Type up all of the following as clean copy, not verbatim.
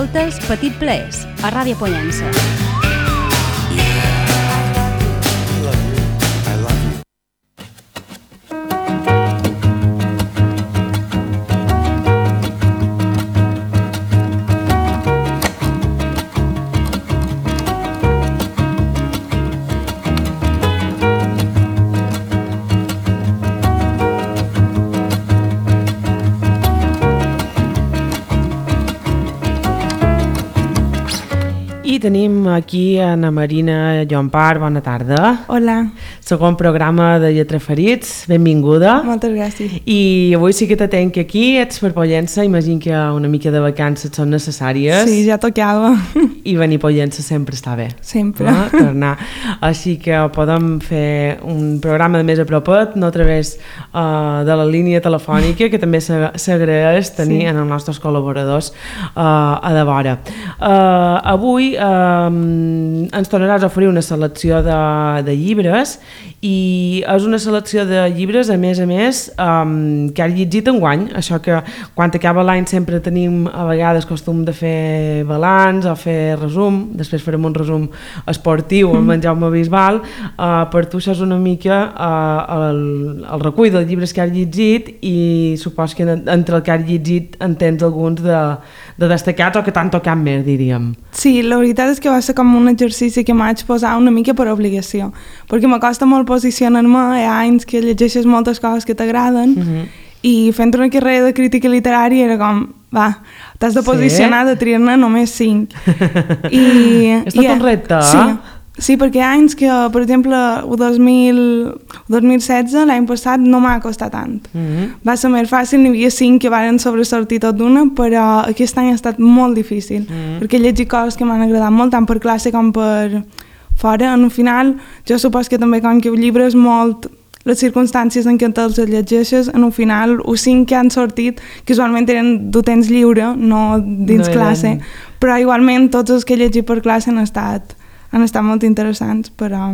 Escoltes Petit Plaers, a Ràdio Pollença. I tenim aquí Ana Marina Llompart, bona tarda. Hola. Segon programa de Lletraferits, benvinguda. Moltes gràcies. I avui sí que te tenc aquí, ets per Pollença, imagino que una mica de vacances són necessàries. Sí, ja tocava. I venir a Pollença sempre està bé. Sempre. No? Tornar. Així que podem fer un programa de més a propet, no a través de la línia telefònica, que també s'agraeix tenir en els nostres col·laboradors a de vora. Avui ens tornaràs a oferir una selecció de llibres i és una selecció de llibres a més que has llegit enguany, això que quan acaba l'any sempre tenim a vegades costum de fer balanç o fer resum, després farem un resum esportiu amb en Jaume Bisbal. Per tu això és una mica el recull dels llibres que has llegit i supos que entre el que has llegit en tens alguns de destacats o que t'han tocat més, diríem. Sí, la veritat és que va ser com un exercici que m'haig posat una mica per obligació, perquè m'acosta molt posicionar-me, hi ha anys que llegeixes moltes coses que t'agraden i fent una carrera de crítica literària era com, va, t'has de posicionar de triar-ne només 5. És tot un repte, Sí, perquè hi ha anys que, per exemple, el 2016, l'any passat, no m'ha costat tant. Va ser més fàcil, n'hi havia 5 que van sobresortir tot d'una, però aquest any ha estat molt difícil, perquè he llegit coses que m'han agradat molt, tant per classe com per fora. En el final, jo supos que també com que el llibre és molt les circumstàncies en què te'ls llegeixes, en el final, els 5 que han sortit, que usualment eren de temps lliure, no dins classe, però igualment tots els que he llegit per classe han estat molt interessants, però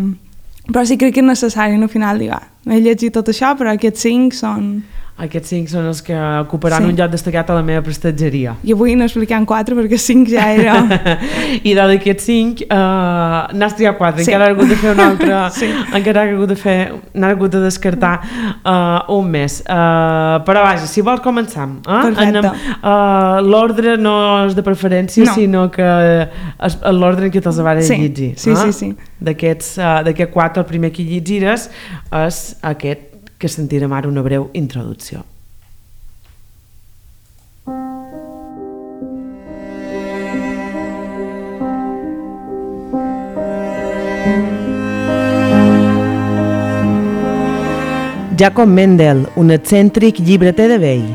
sí crec que és necessari al final dir, he llegit tot això, però aquests 5 són... Aquests 5 són els que ocuparan un lloc destacat a la meva prestatgeria. I avui n'expliquem 4 perquè 5 ja era... I d'aquests 5 n'has triat 4, encara has hagut de fer un altre, encara n'has hagut de descartar un més. Però vaja, si vols començar. Perfecte. L'ordre no és de preferència, sinó que és l'ordre en què te'ls vas llegir. Sí. D'aquests 4, el primer que llegiràs és aquest que sentirem ara una breu introducció. Jacob Mendel, un excèntric llibreter de vell.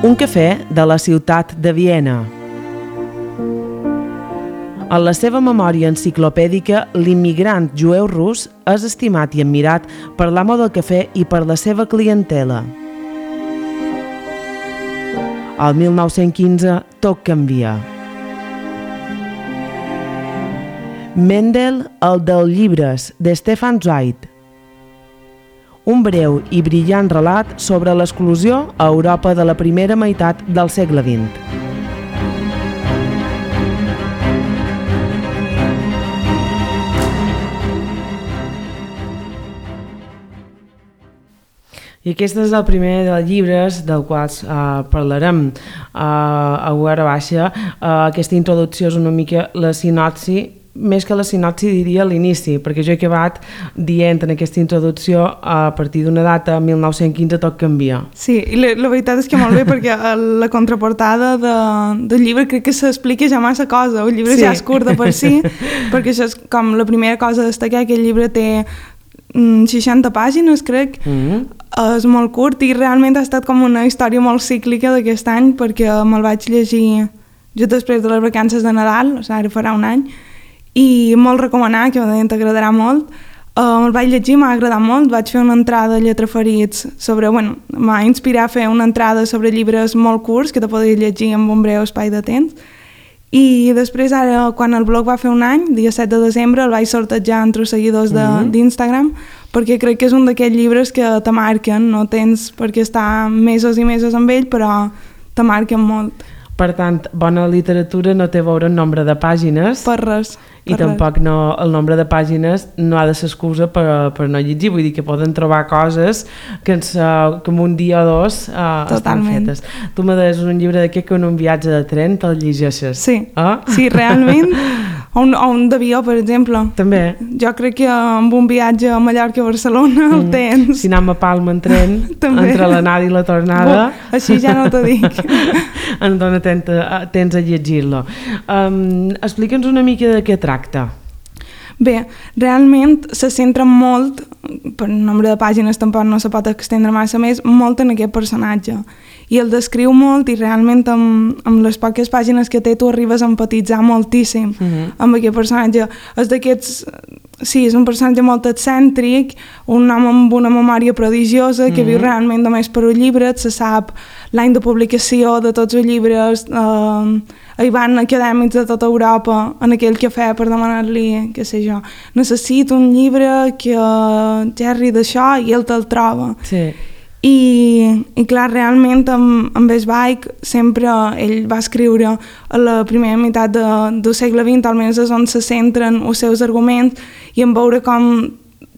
Un cafè de la ciutat de Viena. En la seva memòria enciclopèdica, l'immigrant jueu rus és estimat i admirat per l'amo del cafè i per la seva clientela. Al 1915 tot canvia. Mendel, el dels llibres, de Stefan Zweig. Un breu i brillant relat sobre l'exclusió a Europa de la primera meitat del segle XX. I aquest és el primer dels llibres del quals parlarem a hora baixa. Aquesta introducció és una mica la sinopsi, més que la sinopsi diria l'inici, perquè jo he acabat dient en aquesta introducció a partir d'una data, 1915, tot canvia. Sí, i la veritat és que molt bé, perquè la contraportada del llibre crec que s'explica ja massa cosa, el llibre ja és curt de per si, perquè això és com la primera cosa a destacar, que el llibre té 60 pàgines, crec, és molt curt i realment ha estat com una història molt cíclica d'aquest any, perquè me'l vaig llegir just després de les vacances de Nadal, o sigui, ara farà un any, i molt recomanar, que t'agradarà molt. Me'l vaig llegir, m'ha agradat molt, vaig fer una entrada a Lletraferits sobre, m'ha inspirat a fer una entrada sobre llibres molt curts que te podies llegir amb un breu espai de temps. I després ara, quan el blog va fer un any, dia 7 de desembre, el vaig sortejar entre els seguidors d'Instagram, perquè crec que és un d'aquests llibres que te marquen, no tens per què estar mesos i mesos amb ell, però te marquen molt. Per tant, bona literatura no té a veure el nombre de pàgines. Per res. I tampoc no, el nombre de pàgines no ha de ser excusa per no llegir, vull dir que poden trobar coses que en un dia o dos estan fetes. Tu me deies un llibre d'aquest que en un viatge de tren te'l llegeixes. Sí, sí, realment. O un d'avió, per exemple. També. Jo crec que amb un viatge a Mallorca a Barcelona el tens. Si anem a Palma en tren, entre l'anada i la tornada... Així ja no t'ho dic. En dona tens a llegir-lo. Explica'ns una mica de què tracta. Bé, realment se centra molt, per nombre de pàgines tampoc no se pot extendre massa més, molt en aquest personatge. I el descriu molt i realment amb les poques pàgines que té tu arribes a empatitzar moltíssim amb aquest personatge. És d'aquests... Sí, és un personatge molt excèntric, un home amb una memòria prodigiosa que viu realment només per un llibre, se sap l'any de publicació de tots els llibres, hi van acadèmics de tota Europa en aquell cafè per demanar-li, què sé jo, necessito un llibre que gerri d'això i ell te'l troba. Sí. I clar, realment amb Zweig sempre ell va escriure a la primera meitat del segle XX, almenys és on se centren els seus arguments, i en veure com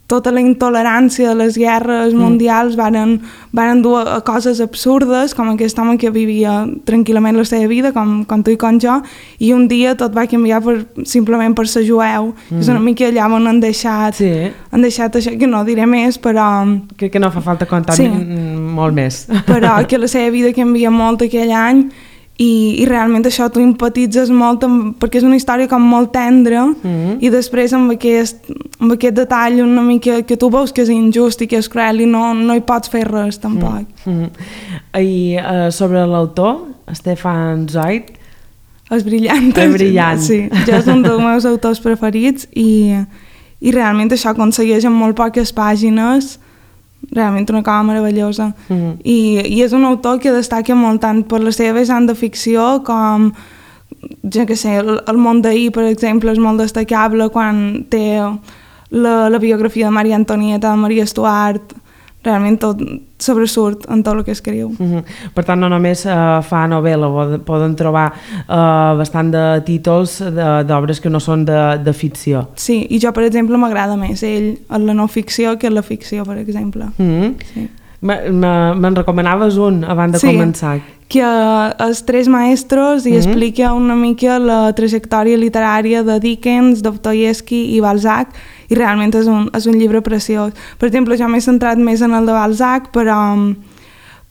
tota la intolerància de les guerres mundials varen dur a coses absurdes, com aquest home que vivia tranquil·lament la seva vida, com tu i com jo, i un dia tot va canviar simplement per ser jueu. És una mica allà on han deixat això, que no diré més, però... Que no fa falta contar molt més. Però que la seva vida canvia molt aquell any, i realment això tu empatitzes molt perquè és una història com molt tendra i després amb aquest detall una mica que tu veus que és injust i que és cruel i no hi pots fer res tampoc. I sobre l'autor, Stefan Zweig, és brillant. És brillant. Sí, jo és un dels meus autors preferits i realment això aconsegueix en molt poques pàgines realment una cosa meravellosa. I és un autor que destaca molt tant per la seva vessant de ficció com, jo què sé, el món d'ahir, per exemple, és molt destacable quan té la biografia de Maria Antonieta, de Maria Stuart, realment tot sobresurt en tot el que escriu. Per tant, no només fa novel·la, poden trobar bastant de títols d'obres que no són de ficció. Sí, i jo, per exemple, m'agrada més ell en la no ficció que en la ficció, per exemple. Sí. Me'n recomanaves un abans de començar. Que és Tres maestros i explica una mica la trajectòria literària de Dickens, Dostoievski i Balzac, i realment és un llibre preciós. Per exemple, jo m'he centrat més en el de Balzac, però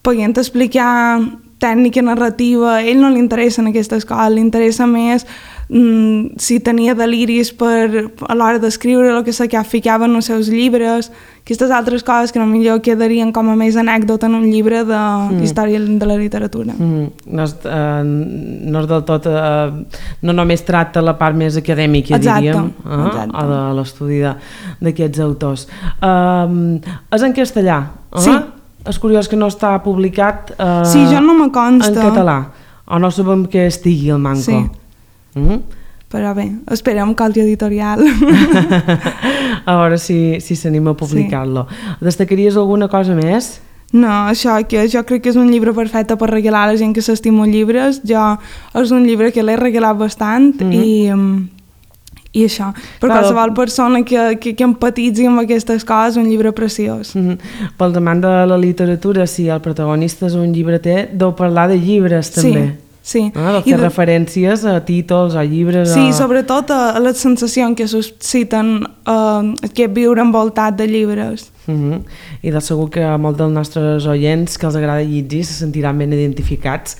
podent explicar tècnica narrativa, a ell no li interessen aquestes coses, li interessa més si tenia deliris a l'hora d'escriure el que se ficava en els seus llibres, aquestes altres coses que potser quedarien com a més anècdota en un llibre d'història de la literatura. No és del tot... no només tracta la part més acadèmica, diríem, o de l'estudi d'aquests autors. És en castellà? Sí. És curiós que no està publicat sí, jo no me consta. En català, o no sabem que estigui el manco. Sí. Però bé, esperem que editorial a veure si s'anima a publicar-lo. Destacaries alguna cosa més? No, això, que jo crec que és un llibre perfecte per regalar a la gent que s'estima llibres. És un llibre que l'he regalat bastant i això, per qualsevol persona que empatitzi amb aquestes coses, un llibre preciós. Pels amants de la literatura, si el protagonista és un llibreter, deu parlar de llibres també. Sí. Deu fer referències a títols, a llibres... Sí, sobretot a les sensacions que susciten aquest viure envoltat de llibres. I de segur que molts dels nostres oients que els agrada llegir se sentiran ben identificats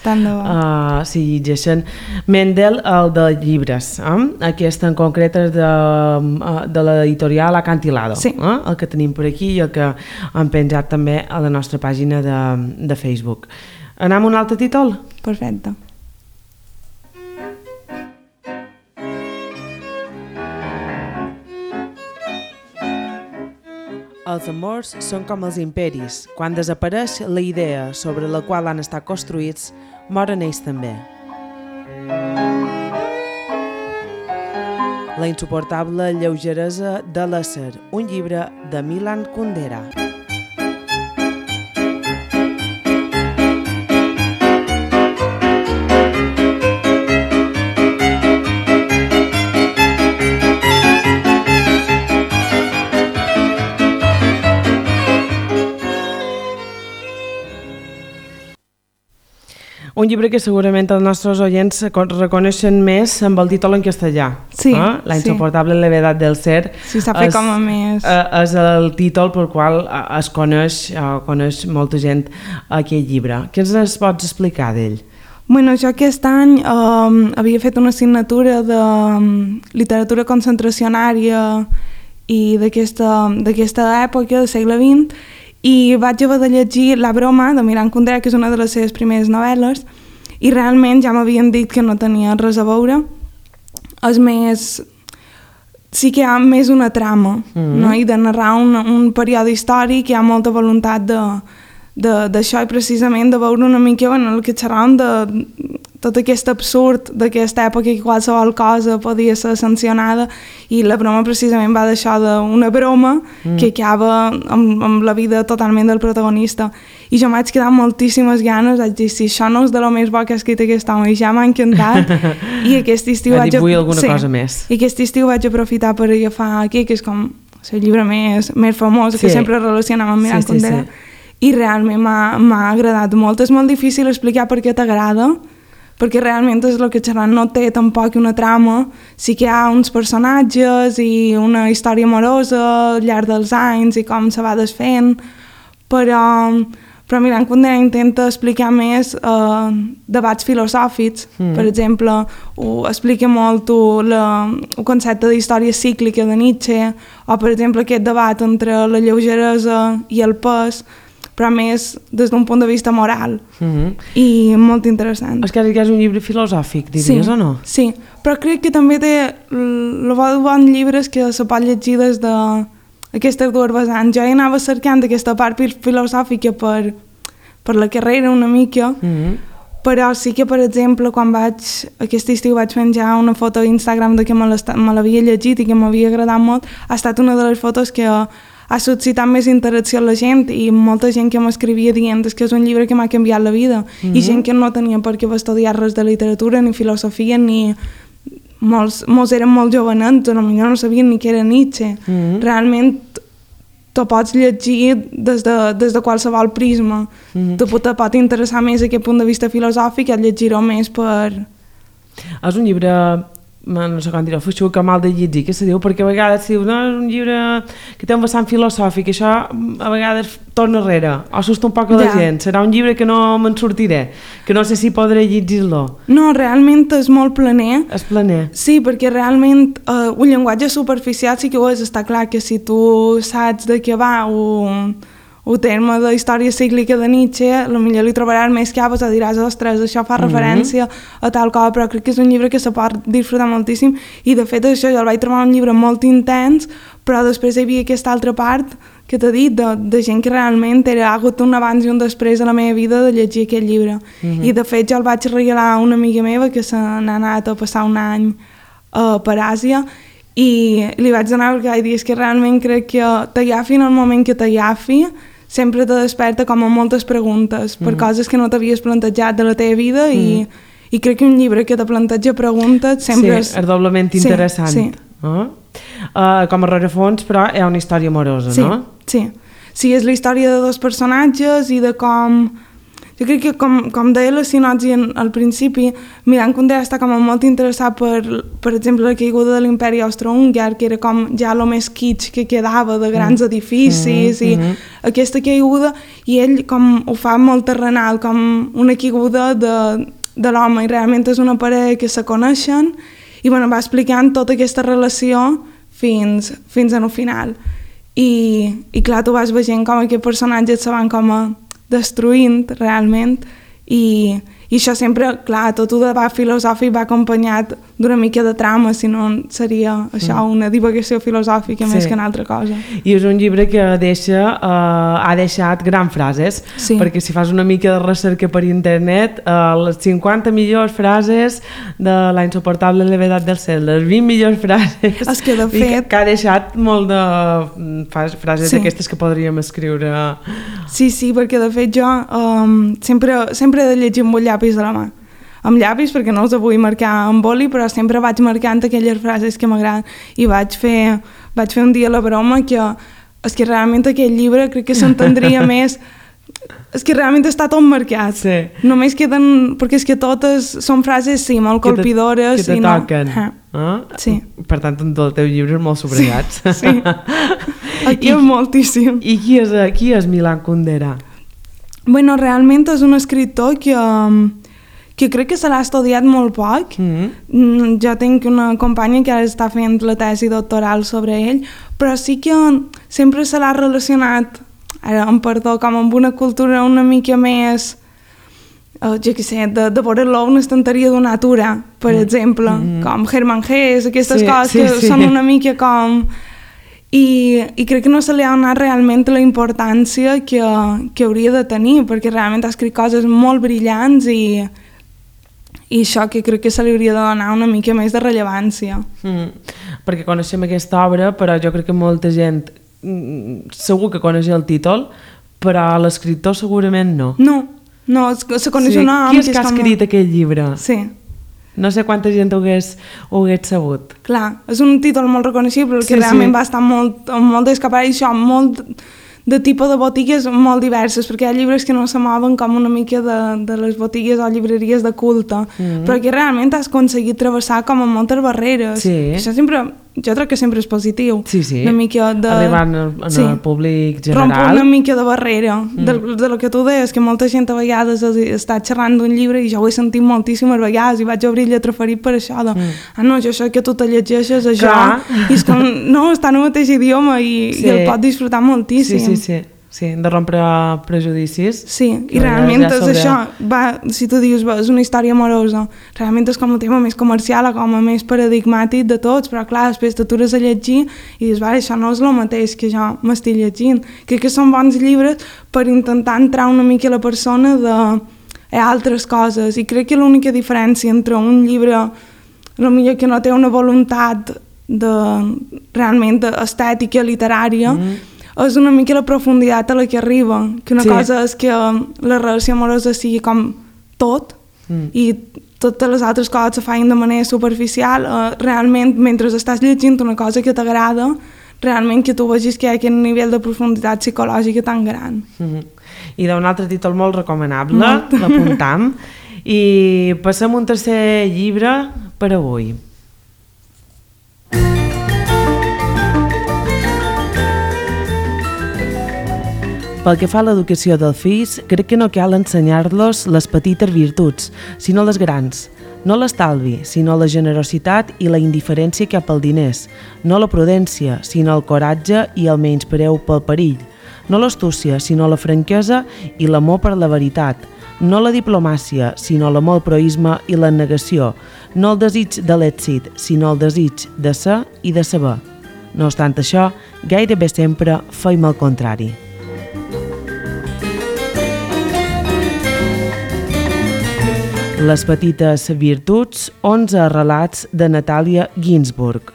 si llegeixen Mendel, el de llibres. Aquest en concret és de l'editorial Acantilado, el que tenim per aquí i el que hem penjat també a la nostra pàgina de Facebook. Anem a un altre títol? Perfecte. Els amors són com els imperis. Quan desapareix la idea sobre la qual han estat construïts, moren ells també. La insuportable lleugeresa de l'ésser, un llibre de Milan Kundera. Un llibre que segurament els nostres oients reconeixen més amb el títol en castellà. Sí, La insoportable levedad del ser. Sí, s'ha fet com a més... És el títol pel qual es coneix molta gent aquest llibre. Què ens pots explicar d'ell? Bueno, jo aquest any havia fet una assignatura de literatura concentracionària i d'aquesta època, del segle XX, i vaig haver de llegir La broma, de Miran Kundera, que és una de les seves primeres novel·les, i realment ja m'havien dit que no tenia res a veure. És més... Sí que hi ha més una trama, no? I de narrar un període històric, hi ha molta voluntat d'això, i precisament de veure una mica el que xerràvem de tot aquest absurd d'aquesta època, que qualsevol cosa podia ser sancionada, i La broma precisament va d'això, d'una broma que acaba amb la vida totalment del protagonista. I jo m'haig quedat moltíssimes ganes, vaig dir, si això no és de lo més bo que ha escrit aquest home, i ja m'ha encantat, i aquest estiu vull alguna cosa més. I aquest estiu vaig aprofitar per agafar aquí, que és com el llibre més famós, que sempre relacionem amb Miran Kundera, i realment m'ha agradat molt. És molt difícil explicar per què t'agrada, perquè realment és el que xerrant, no té tampoc una trama, sí que hi ha uns personatges i una història amorosa al llarg dels anys i com se va desfent, però Miran Kundera intenta explicar més debats filosòfics. Per exemple, explica molt el concepte d'història cíclica de Nietzsche, o per exemple aquest debat entre la lleugeresa i el pes, però més des d'un punt de vista moral, i molt interessant. És que és un llibre filosòfic, diries, o no? Sí, però crec que també té el bon llibre que se pot llegir des d'aquestes dues vessants. Jo hi anava cercant aquesta part filosòfica per la carrera una mica, però sí que, per exemple, quan aquest estiu vaig penjar una foto a Instagram de que me l'havia llegit i que m'havia agradat molt, ha estat una de les fotos que ha suscitat més interacció a la gent, i molta gent que m'escrivia dient que és un llibre que m'ha canviat la vida, i gent que no tenia per què estudiar res de literatura ni filosofia, ni molts eren molt jovenets, potser no sabien ni què era Nietzsche. Realment t'ho pots llegir des de qualsevol prisma. Te pot interessar més aquest punt de vista filosòfic, et llegir-ho més per... És un llibre, no sé com dir-ho, feixuc o mal de llegir, què se diu? Perquè a vegades se diu, no, és un llibre que té un vessant filosòfic, això a vegades torna enrere, o s'assusta un poc a la gent, serà un llibre que no me'n sortiré, que no sé si podré llegir-lo. No, realment és molt planer. És planer. Sí, perquè realment un llenguatge superficial sí que ho és, està clar que si tu saps de què va el terme de història cíclica de Nietzsche, potser li trobaràs més caves, diràs, ostres, això fa referència a tal cosa, però crec que és un llibre que se pot disfrutar moltíssim, i de fet això jo el vaig trobar un llibre molt intens, però després hi havia aquesta altra part que t'he dit, de gent que realment ha hagut un abans i un després a la meva vida de llegir aquest llibre. I de fet jo el vaig regalar a una amiga meva que se n'ha anat a passar un any per Àsia, i li vaig donar perquè vaig dir, és que realment crec que t'agafi en el moment que t'agafi, sempre te desperta com a moltes preguntes per coses que no t'havies plantejat de la teva vida, i crec que un llibre que te planteja preguntes sempre és doblement interessant. Sí. Com a rerefons, però hi ha una història amorosa, no? Sí, és la història de dos personatges i de com... Jo crec que, com deia la sinopsi al principi, Miran Kundera està com molt interessat per exemple, la caiguda de l'imperi austro-húngar, que era com ja el més kitsch que quedava de grans edificis, i aquesta caiguda, i ell com ho fa molt terrenal, com una caiguda de l'home, i realment és una parella que se coneixen, i bueno, va explicant tota aquesta relació fins al final. I clar, tu vas veient com aquests personatges se van com destruint realment, i això sempre, clar, tot el debat filosòfic va acompanyat d'una mica de trama, si no seria això una divagació filosòfica més que una altra cosa. I és un llibre que ha deixat grans frases, perquè si fas una mica de recerca per internet, les 50 millors frases de La insoportable levedad del ser, les 20 millors frases, és que de fet... que ha deixat molt de frases d'aquestes que podríem escriure. Sí, perquè de fet jo sempre he de llegir amb un llapis de la mà. Amb llapis, perquè no els vull marcar amb boli, però sempre vaig marcant aquelles frases que m'agraden. I vaig fer un dia La broma, que és que realment aquest llibre crec que s'entendria més és que realment està tot marcat. Sí. Només queden... Perquè és que totes són frases, sí, molt colpidores. Que te toquen. Sí. Per tant, en tot el teu llibre és molt subratllats. Sí. Aquí és moltíssim. I qui és Milan Kundera? Bueno, realment és un escriptor que crec que se l'ha estudiat molt poc. Jo tinc una companya que ara està fent la tesi doctoral sobre ell, però sí que sempre se l'ha relacionat, ara em perdó, com amb una cultura una mica més, jo què sé, de veure-lo a una estanteria d'una natura, per exemple, com Hermann Hesse, aquestes coses que són una mica com... I crec que no se li ha donat realment la importància que hauria de tenir, perquè realment ha escrit coses molt brillants i això que crec que se li hauria de donar una mica més de rellevància. Perquè coneixem aquesta obra, però jo crec que molta gent segur que coneix el títol, però l'escriptor segurament no. No, se coneix un nom... Qui és que ha escrit aquest llibre? Sí. No sé quanta gent ho hagués sabut. Clar, és un títol molt reconeixible, que realment va estar molt d'escapar i això, molt de tipus de botigues molt diverses, perquè hi ha llibres que no se mouen com una mica de les botigues o llibreries de culte, però que realment has aconseguit travessar com a moltes barreres. Sí. Això sempre, jo crec que sempre és positiu. Sí. Una mica de... Arribant al públic general. Romper una mica de barrera, de lo que tu deies, que molta gent a vegades està xerrant d'un llibre i jo ho he sentit moltíssimes vegades i vaig obrir el Lletraferit per això de, no, jo sé que tu te llegeixes això, i és com, no, està en el mateix idioma i el pot disfrutar moltíssim. Sí, de rompre prejudicis. Sí, i realment és això, si tu dius, és una història amorosa, realment és com un tema més comercial o com a més paradigmàtic de tots, però clar, després t'atures a llegir i dius, vale, això no és el mateix que jo m'estic llegint. Crec que són bons llibres per intentar entrar una mica a la persona d'altres coses, i crec que l'única diferència entre un llibre potser que no té una voluntat realment estètica, literària, és una mica la profunditat a la que arriba, que una cosa és que la relació amorosa sigui com tot i totes les altres coses se feien de manera superficial, realment mentre estàs llegint una cosa que t'agrada, realment que tu vegis que hi ha aquest nivell de profunditat psicològica tan gran. I d'un altre títol molt recomanable, l'apuntam, i passem un tercer llibre per avui. Pel que fa a l'educació dels fills, crec que no cal ensenyar-los les petites virtuts, sinó les grans. No l'estalvi, sinó la generositat i la indiferència cap als diners. No la prudència, sinó el coratge i el menyspreu pel perill. No l'astúcia, sinó la franquesa i l'amor per la veritat. No la diplomàcia, sinó l'amor al proïsme i la negació. No el desig de l'èxit, sinó el desig de ser i de saber. No obstant això, gairebé sempre feim el contrari. Les petites virtuts, 11 relats de Natàlia Ginsburg.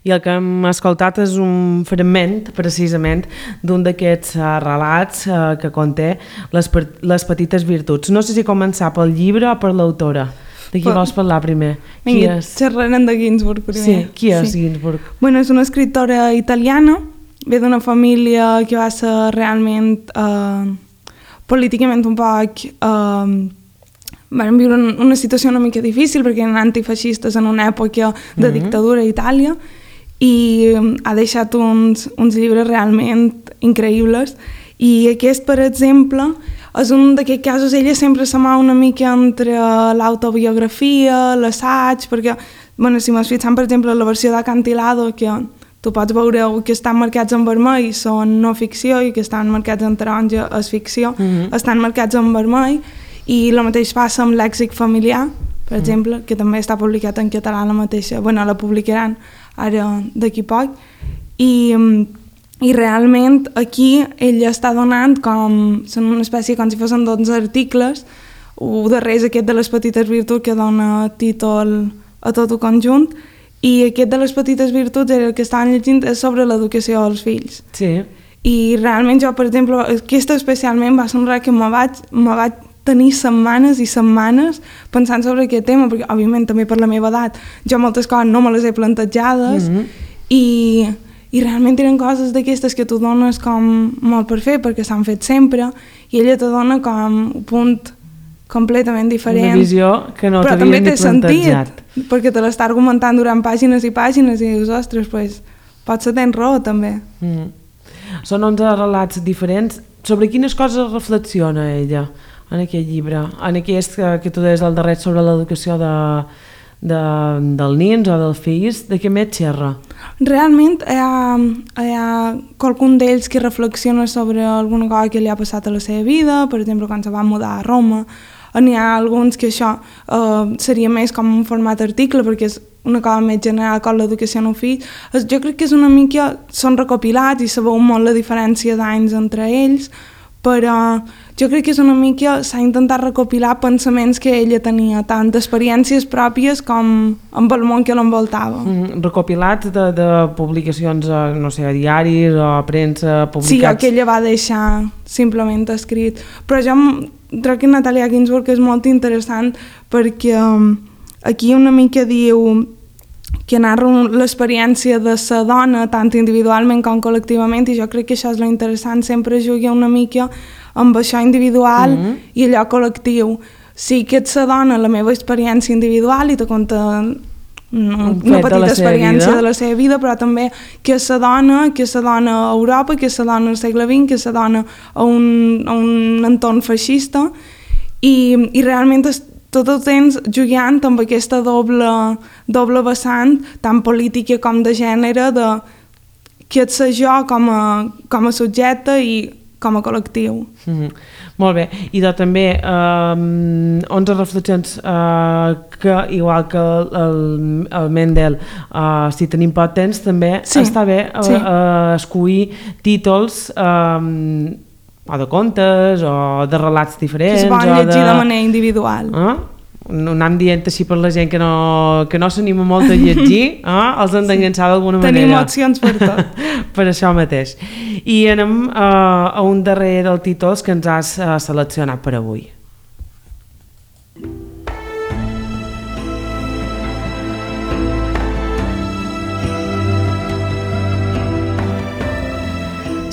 I el que hem escoltat és un fragment, precisament, d'un d'aquests relats que conté les petites virtuts. No sé si començar pel llibre o per l'autora. De qui vols parlar primer? Vinga, xerrarem de Ginsburg primer. Sí, qui és Ginsburg? Bueno, és una escriptora italiana, ve d'una família que va ser realment políticament un poc... van viure una situació una mica difícil perquè eren antifeixistes en una època de dictadura a Itàlia i ha deixat uns llibres realment increïbles i aquest, per exemple, és un d'aquests casos, ella sempre se mou una mica entre l'autobiografia, l'assaig, perquè, bueno, si m'has fixat, per exemple, la versió d'Acantilado, que tu pots veure que estan marcats en vermell, són no ficció, i que estan marcats en taronja és ficció, estan marcats en vermell, i el mateix passa amb Lèxic familiar, per exemple, que també està publicat en català la mateixa, bueno, la publicaran ara d'aquí poc, i realment aquí ella està donant com, són una espècie com si fossin 12 articles, un darrer és aquest de les petites virtuts que dona títol a tot el conjunt, i aquest de les petites virtuts era el que estaven llegint és sobre l'educació dels fills. Sí. I realment jo, per exemple, aquesta especialment va ser un res que me vaig tenir setmanes i setmanes pensant sobre aquest tema, perquè òbviament també per la meva edat jo moltes coses no me les he plantejades i realment eren coses d'aquestes que tu dones com molt per fer perquè s'han fet sempre i ella te dona com un punt completament diferent. Una visió que no però t'havia també ni té plantejat. sentit, perquè te l'està argumentant durant pàgines i pàgines i dius, ostres, pues, potser tens raó també. Són 11 relats diferents. Sobre quines coses reflexiona ella en aquest llibre? En aquest que tu deies al darrer sobre l'educació del nins o dels fills, de què més xerra? Realment hi ha qualcun d'ells que reflexiona sobre alguna cosa que li ha passat a la seva vida, per exemple, quan se va mudar a Roma. N'hi ha alguns que això seria més com un format article, perquè és una cosa més general com l'educació en un fill. Jo crec que és una mica, són recopilats i sabeu molt la diferència d'anys entre ells, però jo crec que és una mica, s'ha intentat recopilar pensaments que ella tenia, tant d'experiències pròpies com amb el món que l'envoltava. Recopilats de publicacions, no sé, a diaris o a premsa publicats? Sí, que ella va deixar simplement escrit. Però jo crec que Natalia Ginzburg és molt interessant perquè aquí una mica diu que narra l'experiència de la dona tant individualment com col·lectivament i jo crec que això és l'interessant, sempre juga una mica amb això individual i allò col·lectiu. Sí que ets la dona, la meva experiència individual i te conta una petita experiència de la seva vida, però també que és la dona a Europa, que és la dona al segle XX, que és la dona a un entorn feixista i realment tot el temps jugant amb aquesta doble vessant, tant política com de gènere, de que ets jo com a subjecte i com a col·lectiu. Molt bé, i també 11 reflexions que, igual que el Mendel, si tenim poc temps, també està bé escollir títols o de contes o de relats diferents. Que es poden llegir de manera individual. No anem dient així per la gent que no s'anima molt a llegir, els hem d'enganxar d'alguna manera. Tenim opcions per tot. Per això mateix. I anem a un darrer dels títols que ens has seleccionat per avui.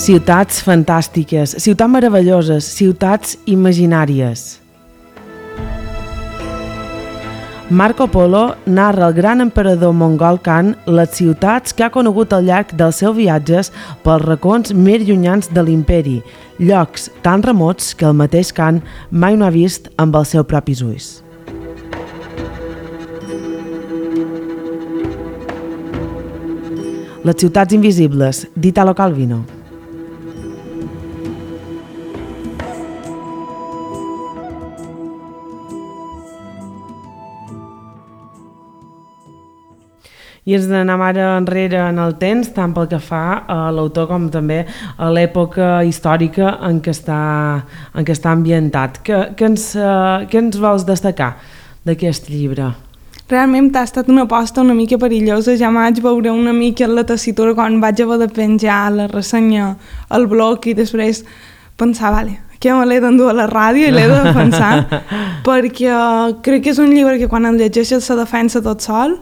Ciutats fantàstiques, ciutats meravelloses, ciutats imaginàries. Marco Polo narra el gran emperador mongol Khan les ciutats que ha conegut al llarg dels seus viatges pels racons més llunyans de l'imperi, llocs tan remots que el mateix Khan mai no ha vist amb els seus propis ulls. Les ciutats invisibles, d'Italo Calvino. I ens n'anem ara enrere en el temps, tant pel que fa a l'autor com també a l'època històrica en què està ambientat. Què ens vols destacar d'aquest llibre? Realment ha estat una aposta una mica perillosa. Ja vaig veure una mica la tessitura quan vaig haver de penjar la ressenya al blog i després pensar, vale, que me l'he d'endur a la ràdio i l'he de defensar, perquè crec que és un llibre que quan el llegeixes se defensa tot sol.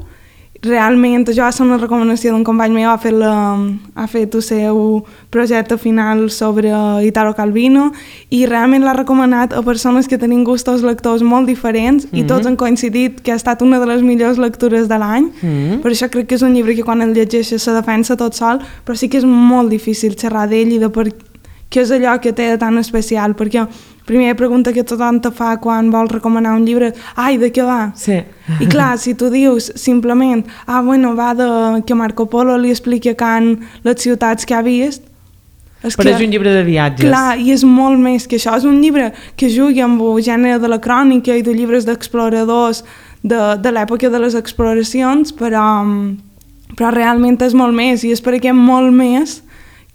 Realment, això va ser una recomanació d'un company meu, ha fet el seu projecte final sobre Italo Calvino i realment l'ha recomanat a persones que tenen gustos lectors molt diferents i tots han coincidit que ha estat una de les millors lectures de l'any. Per això crec que és un llibre que quan el llegeixes se defensa tot sol, però sí que és molt difícil xerrar d'ell i de per què és allò que té de tan especial, perquè primera pregunta que tothom te fa quan vols recomanar un llibre, ai, de què va? Sí. I clar, si tu dius simplement, va de que Marco Polo li expliqui a Khan les ciutats que ha vist, però és un llibre de viatges. Clar, i és molt més que això, és un llibre que jugui amb el gènere de la crònica i de llibres d'exploradors de l'època de les exploracions, però realment és molt més, i és per aquest molt més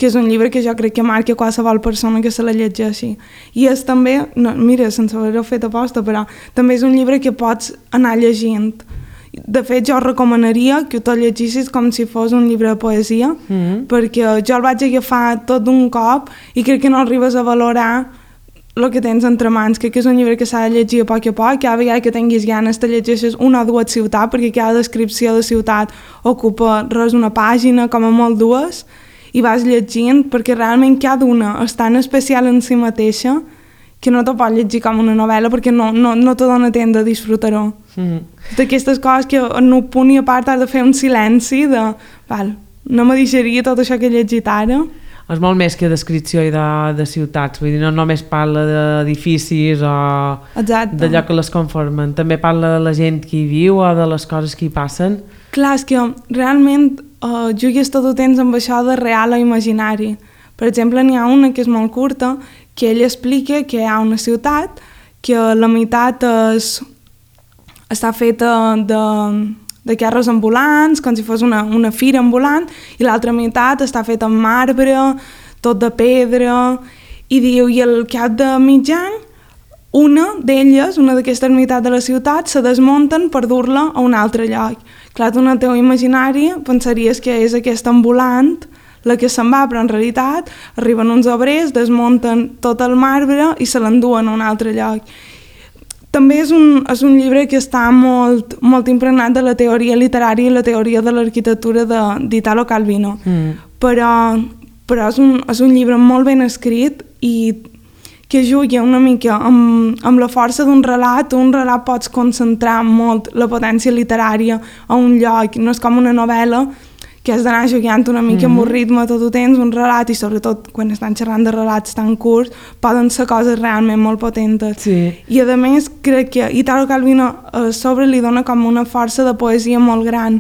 que és un llibre que jo crec que marca qualsevol persona que se la llegeixi. I és també, mira, sense haver-ho fet aposta, però també és un llibre que pots anar llegint. De fet, jo recomanaria que te'l llegissis com si fos un llibre de poesia, perquè jo el vaig agafar tot d'un cop i crec que no arribes a valorar el que tens entre mans, que és un llibre que s'ha de llegir a poc, cada vegada que tinguis ganes te llegeixes una o dues ciutats, perquè cada descripció de ciutat ocupa res una pàgina, com a molt dues, i vas llegint, perquè realment cada una és tan especial en si mateixa que no te pots llegir com una novel·la perquè no te dona temps de disfrutar-ho. D'aquestes coses que en un punt i a part has de fer un silenci de, no me deixaria tot això que he llegit ara. És molt més que descripció de ciutats, vull dir, no només parla d'edificis o d'allò que les conformen, també parla de la gent que hi viu o de les coses que hi passen. Clar, és que realment jugues tot el temps amb això de real o imaginari. Per exemple, n'hi ha una que és molt curta, que ell explica que hi ha una ciutat que la meitat està feta de carros ambulants, com si fos una fira ambulant, i l'altra meitat està feta amb marbre, tot de pedra, i diu, i al cap de mig any, una d'elles, una d'aquestes meitats de la ciutat, se desmunten per dur-la a un altre lloc. Clar, tu en el teu imaginari pensaries que és aquest ambulant la que se'n va, però en realitat arriben uns obrers, desmunten tot el marbre i se l'enduen a un altre lloc. També és un llibre que està molt, molt impregnat de la teoria literària i la teoria de l'arquitectura d'Italo Calvino. Però és un llibre molt ben escrit i que juga una mica amb la força d'un relat. Un relat pots concentrar molt la potència literària a un lloc, no és com una novel·la que has d'anar jugant una mica amb un ritme tot el temps, un relat, i sobretot quan estan xerrant de relats tan curts, poden ser coses realment molt potentes. Sí. I a més crec que Italo Calvino a sobre li dona com una força de poesia molt gran,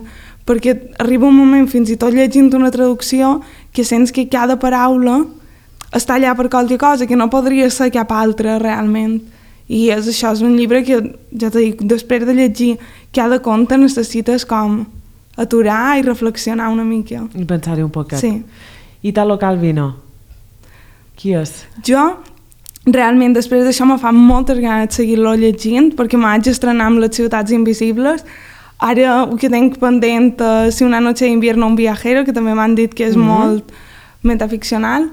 perquè arriba un moment, fins i tot llegint una traducció, que sents que cada paraula està allà per qualque cosa, que no podria ser cap altra realment. I això és un llibre que, ja t'ho dic, després de llegir cada conte necessites com aturar i reflexionar una mica. I pensar-hi un poquet. Sí. Italo Calvino, qui és? Jo, realment, després d'això me fa moltes ganes de seguir-lo llegint, perquè m'haig estrenar amb Les ciutats invisibles. Ara el que tinc pendent és Si una noche de invierno un viajero, que també m'han dit que és molt metaficcional,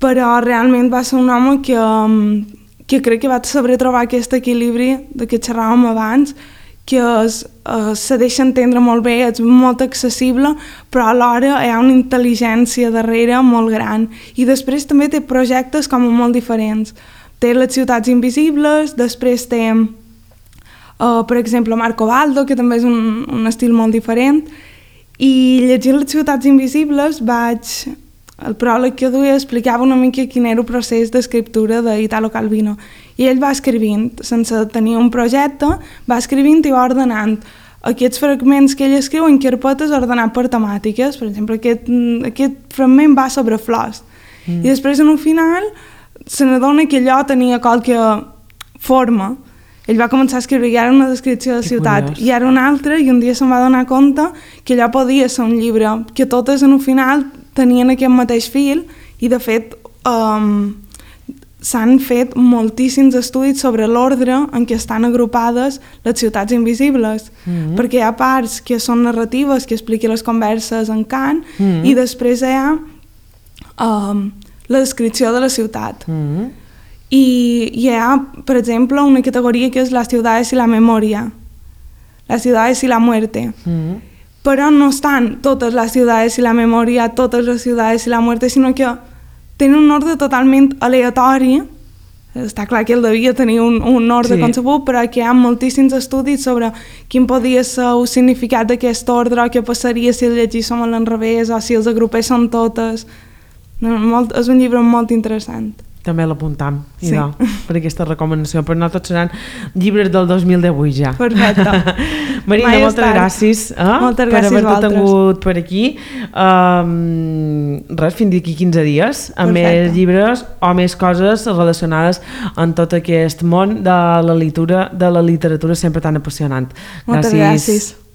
però realment va ser un home que crec que va saber trobar aquest equilibri de què xerràvem abans, que se deixa entendre molt bé, és molt accessible, però alhora hi ha una intel·ligència darrere molt gran. I després també té projectes com molt diferents. Té Les ciutats invisibles, després té, per exemple, Marco Baldo, que també és un estil molt diferent, i llegint Les ciutats invisibles el pròleg que duia explicava una mica quin era el procés d'escriptura d'Italo Calvino. I ell va escrivint, sense tenir un projecte, va escrivint i va ordenant aquests fragments que ell escriu en carpetes ordenat per temàtiques. Per exemple, aquest fragment va sobre flors. I després, en un final, se n'adona que allò tenia qualque forma. Ell va començar a escriure i era una descripció de la ciutat, i era una altra, i un dia se'n va donar compte que allò podia ser un llibre, que totes en un final tenien aquest mateix fil, i de fet s'han fet moltíssims estudis sobre l'ordre en què estan agrupades les ciutats invisibles, perquè hi ha parts que són narratives, que expliquen les converses en cant, i després hi ha la descripció de la ciutat. I hi ha, per exemple, una categoria que és las ciudades y la memoria, las ciudades y la muerte. Però no estan totes les ciutats i la memòria, totes les ciutats i la muerte, sinó que tenen un ordre totalment aleatori. Està clar que ell devia tenir un ordre concebut, però que hi ha moltíssims estudis sobre quin podia ser el significat d'aquest ordre, o què passaria si el llegíssim a l'enrevés, o si els agrupéssim totes. És un llibre molt interessant. També l'apuntam, per aquesta recomanació, però no tots seran llibres del 2018 ja. Perfecte. Marina, moltes gràcies per haver-te tingut per aquí. Fins d'aquí 15 dies, amb més llibres o més coses relacionades amb tot aquest món de la literatura sempre tan apassionant. Moltes gràcies.